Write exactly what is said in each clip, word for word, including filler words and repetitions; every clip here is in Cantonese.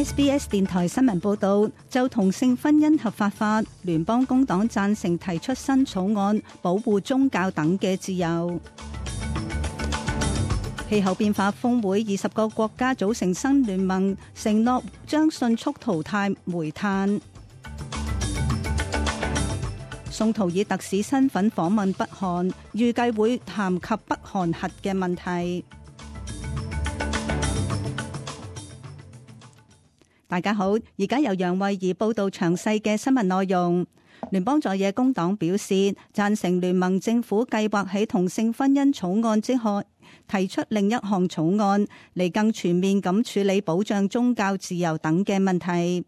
S B S 電台新聞報道，就同性婚姻合法化，聯邦工黨贊成提出新草案，保護宗教等嘅自由。氣候變化峰會，二十個國家組成新聯盟，承諾將迅速淘汰煤炭。宋濤以特使身份訪問北韓，預計會談及北韓核嘅問題。大家好，而家由楊慧儀報道詳細嘅新聞內容。聯邦在野工黨表示贊成聯盟政府計劃喺同性婚姻草案之外提出另一項草案，嚟更全面咁處理保障宗教自由等嘅問題。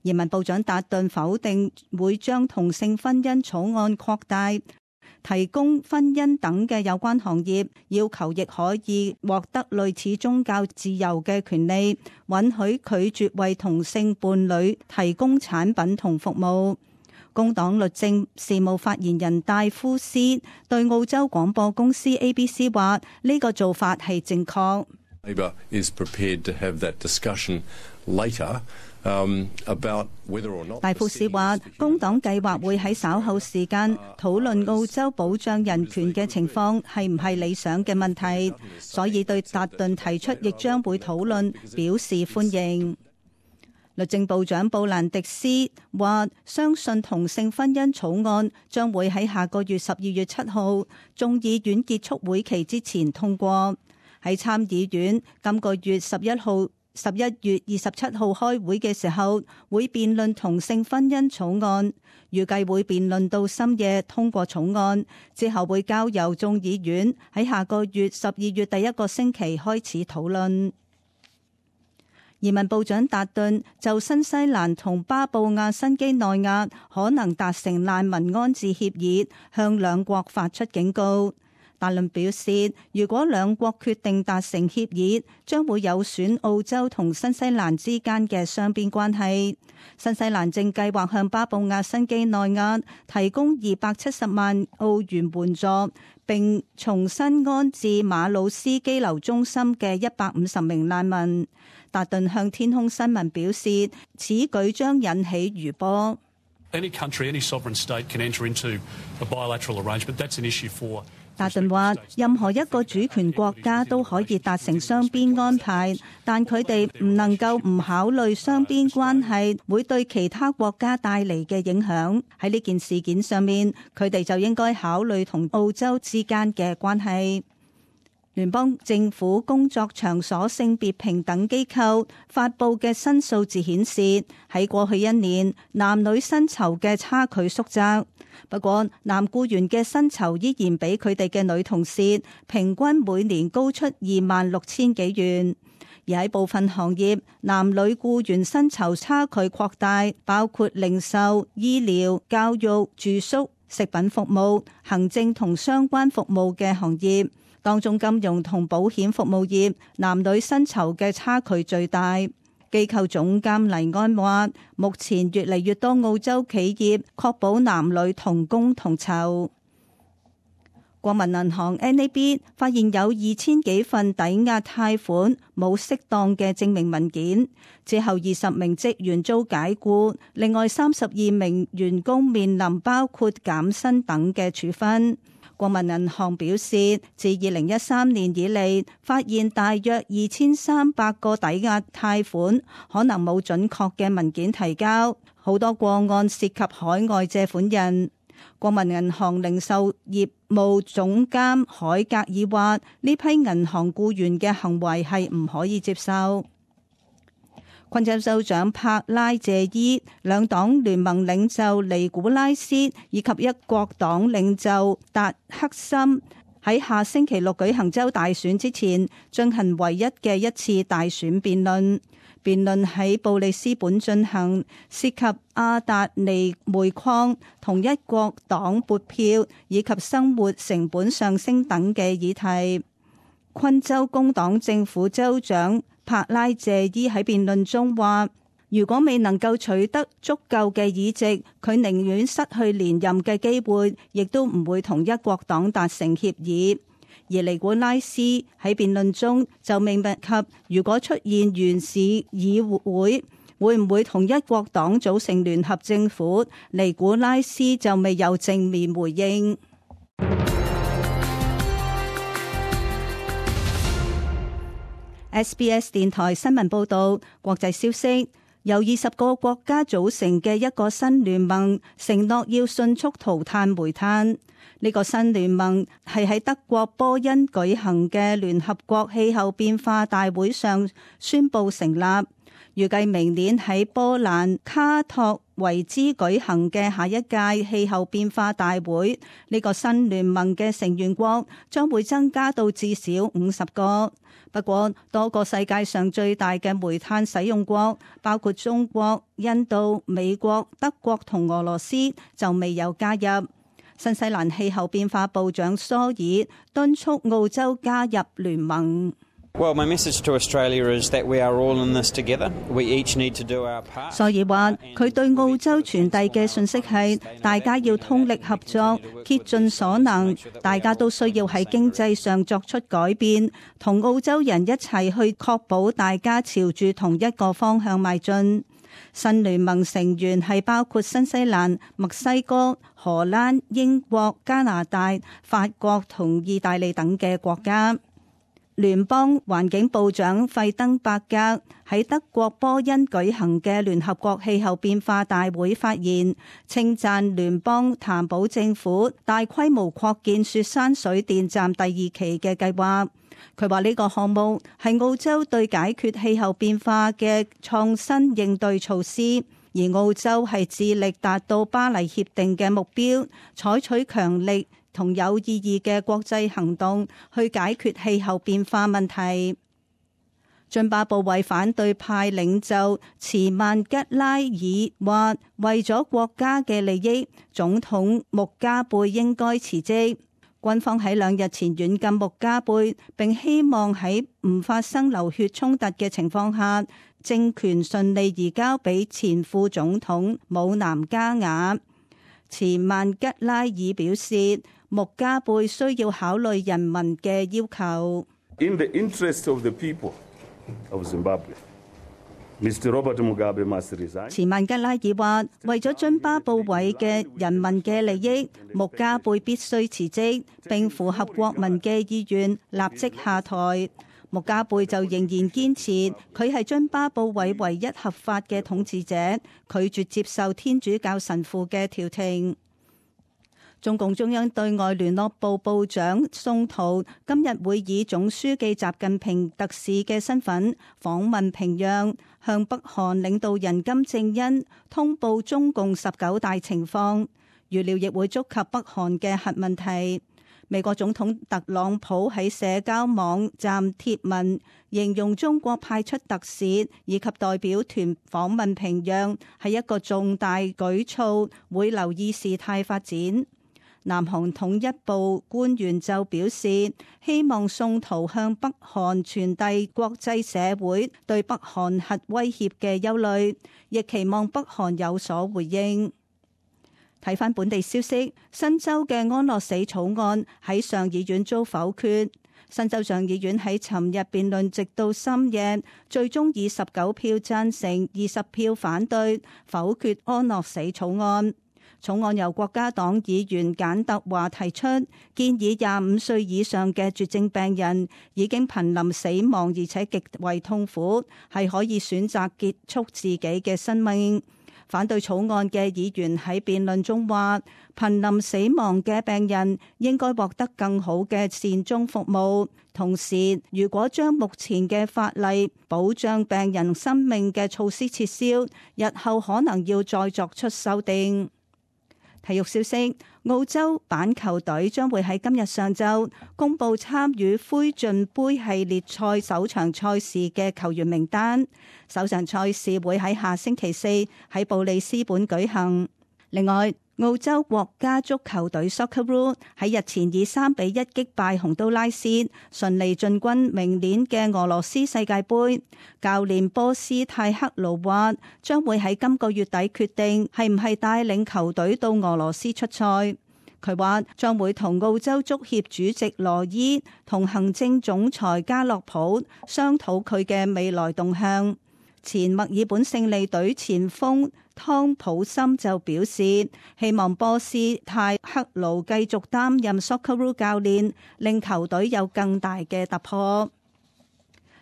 移民部長達頓否定會將同性婚姻草案擴大，提供婚姻等嘅有關行業，要求亦可以獲得類似宗教自由嘅權利，允許拒絕為同性伴侶提供產品同服務。工黨律政事務發言人戴夫斯對澳洲廣播公司 A B C 話：呢個做法係正確。Labor is prepared to have that discussion later. Um, about whether or not 戴夫斯話，工黨計劃會喺稍後時間討論澳洲保障人權嘅情況係唔係理想嘅問題，所以對達頓提出亦將會討論表示歡迎。律政部長布蘭迪斯話，相信同性婚姻草案將會喺下個月十二月七號眾議院結束會期之前通過。喺參議院今個月十一號十一月二十七號開會嘅時候，會辯論同性婚姻草案，預計會辯論到深夜通過草案，之後會交由眾議院喺下個月十二月第一個星期開始討論。移民部長達頓就新西蘭同巴布亞新畿內亞可能達成難民安置協議，向兩國發出警告。達頓表示，如果兩國決定達成協議，將會有損澳洲同新西蘭之間嘅雙邊關係。新西蘭正計劃向巴布亞新畿內亞提供二百七十萬澳元援助，並重新安置馬魯斯羈留中心嘅一百五十名難民。達頓向天空新聞表示，此舉將引起餘波。Any country, any sovereign state can enter into a bilateral arrangement. That's an issue for 達頓話，任何一個主權國家都可以達成雙邊安排，但佢哋唔能夠唔考慮雙邊關係會對其他國家帶嚟嘅影響。喺呢件事件上面，佢哋就應該考慮同澳洲之間嘅關係。聯邦政府工作場所性別平等機構發佈嘅新數字顯示，喺過去一年，男女薪酬嘅差距縮窄。不過，男僱員嘅薪酬依然比佢哋嘅女同事平均每年高出二萬六千幾元。而喺部分行業，男女僱員薪酬差距擴大，包括零售、醫療、教育、住宿、食品服務、行政同相關服務嘅行業。當中金融同保險服務業男女薪酬嘅差距最大。機構總監黎安話，目前越嚟越多澳洲企業確保男女同工同酬。國民銀行 N A B 發現有二千幾份抵押貸款冇適當嘅證明文件，之後二十名職員遭解僱，另外三十二名員工面臨包括減薪等嘅處分。國民銀行表示，自二零一三年以嚟，發現大約二千三百個抵押貸款可能冇準確嘅文件提交，好多個案涉及海外借款人。國民銀行零售業務總監海格爾話：呢批銀行僱員嘅行為係唔可以接受。昆州州長帕拉謝伊、兩黨聯盟領袖尼古拉斯以及一國黨領袖達克森喺下星期六舉行州大選之前進行唯一嘅一次大選辯論。辯論喺布里斯本進行，涉及阿達尼煤礦同一國黨撥票以及生活成本上升等嘅議題。昆州工黨政府州長帕拉謝伊喺辯論中話，如果未能夠取得足夠嘅議席，佢寧願失去連任嘅機會，亦都唔會同一國黨達成協議。而尼古拉斯喺辯論中就明白及，如果出現原市議會會唔會同一國黨組成聯合政府，尼古拉斯就未有正面回應。S B S 電台新聞報道，國際消息，由二十個國家組成嘅一個新聯盟承諾要迅速塗炭煤炭。呢個新聯盟係喺德國波恩舉行嘅聯合國氣候變化大會上宣布成立，預計明年喺波蘭卡托維茲舉行嘅下一屆氣候變化大會，呢個新聯盟嘅成員國將會增加到至少五十個。不過，多個世界上最大嘅煤炭使用國，包括中國、印度、美國、德國同俄羅斯，就未有加入。新西蘭氣候變化部長蘇爾敦促澳洲加入聯盟。Well, my message to Australia is that we are all in this together. We each need to do our part. 所以話佢對澳洲傳遞嘅信息係，大家要通力合作，竭盡所能，大家都需要喺經濟上作出改變，同澳洲人一齊去確保大家朝住同一個方向邁進。新聯盟成員係包括新西蘭、墨西哥、荷蘭、英國、加拿大、法國同意大利等嘅國家。聯邦環境部長費登伯格喺德國波恩舉行嘅聯合國氣候變化大會發言，稱讚聯邦譚堡政府大規模擴建雪山水電站第二期嘅計劃。佢話呢個項目係澳洲對解決氣候變化嘅創新應對措施，而澳洲係致力達到巴黎協定嘅目標，採取強力同有意義嘅國際行動去解決氣候變化問題。津巴布韋反對派領袖茨曼吉拉爾話，為咗國家嘅利益，總統穆加貝應該辭職。軍方喺兩日前軟禁穆加貝，並希望喺唔發生流血衝突嘅情況下，政權順利移交俾前副總統姆南加瓦。茨曼吉拉爾表示，穆加貝需要考慮人民嘅要求。In the interest of the people of Zimbabwe, Mister Robert Mugabe must resign. 茨曼吉拉爾話，為咗津巴布韋嘅人民嘅利益，穆加貝必須辭職，並符合國民嘅意願，立即下台。穆加貝就仍然堅持佢係津巴布韋唯一合法嘅統治者，拒絕接受天主教神父嘅調停。中共中央對外聯絡部部長宋濤今日會以總書記習近平特使嘅身份訪問平壤，向北韓領導人金正恩通報中共十九大情況，預料亦會觸及北韓嘅核問題。美國總統特朗普喺社交網站貼文，形容中國派出特使以及代表團訪問平壤係一個重大舉措，會留意事態發展。南韓統一部官員就表示，希望宋濤向北韓傳遞國際社會對北韓核威脅嘅憂慮，亦期望北韓有所回應。睇返本地消息，新州嘅安樂死草案喺上議院遭否決。新州上議院喺尋日辯論直到深夜，最終以十九票贊成、二十票反對否決安樂死草案。草案由國家黨議員簡特華提出，建議廿五歲以上嘅絕症病人已經瀕臨死亡而且極為痛苦，係可以選擇結束自己嘅生命。反對草案嘅議員喺辯論中話，瀕臨死亡嘅病人應該獲得更好嘅善終服務。同時，如果將目前嘅法例保障病人生命嘅措施撤銷，日後可能要再作出修訂。體育消息，澳洲板球隊將會喺今日上晝公布參與灰燼杯系列賽首場賽事嘅球員名單。首場賽事會喺下星期四喺布里斯本舉行。另外，澳洲國家足球隊 Socceroo 喺日前以三比一擊敗洪都拉斯，順利進軍明年嘅俄羅斯世界盃。教練波斯泰克魯話，將會喺今個月底決定係唔係帶領球隊到俄羅斯出賽。佢話將會同澳洲足協主席羅伊同行政總裁加洛普商討佢嘅未來動向。前墨爾本勝利隊前鋒湯普森就表示，希望波斯泰克魯繼續擔任 Socceroo 教練，令球隊有更大嘅突破。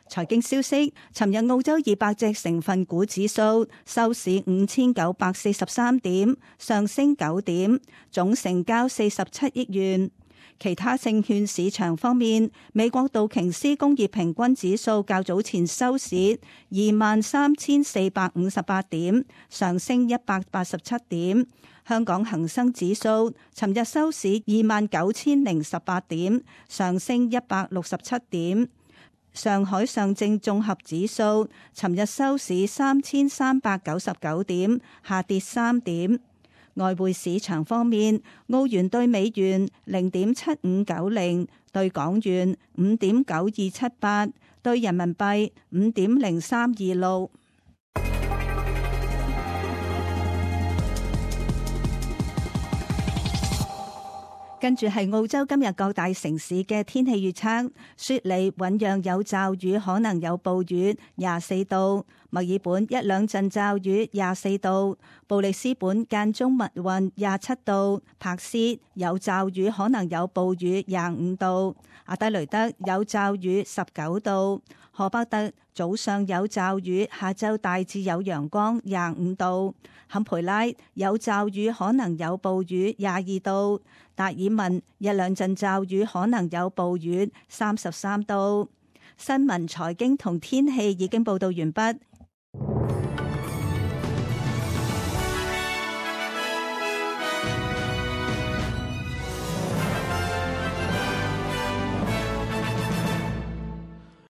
財經消息，尋日澳洲二百隻成分股指數收市五千九百四十三點，上升九點，總成交四十七億元。其他證券市場方面，美國道瓊斯工業平均指數較早前收市二萬三千四百五十八點，上升一百八十七點。香港恒生指數尋日收市二萬九千零十八點，上升一百六十七點。上海上證綜合指數尋日收市三千三百九十九點，下跌三點。外匯市場方面，澳元對美元零點七五九零，對港元五點九二七八，對人民幣五點零三二六。跟住係澳洲今日各大城市嘅天氣預測：雪梨醞釀有驟雨，可能有暴雨，廿四度；墨爾本一兩陣驟雨，廿四度；布里斯本間中密雲，廿七度；珀斯有驟雨，可能有暴雨，廿五度；阿德雷德有驟雨，十九度；荷伯特早上有驟雨，下晝大致有陽光，廿五度；坎培拉有驟雨，可能有暴雨，廿二度；達爾文一兩陣驟雨，可能有暴雨，三十三度。新聞、財經同天氣已經報道完畢，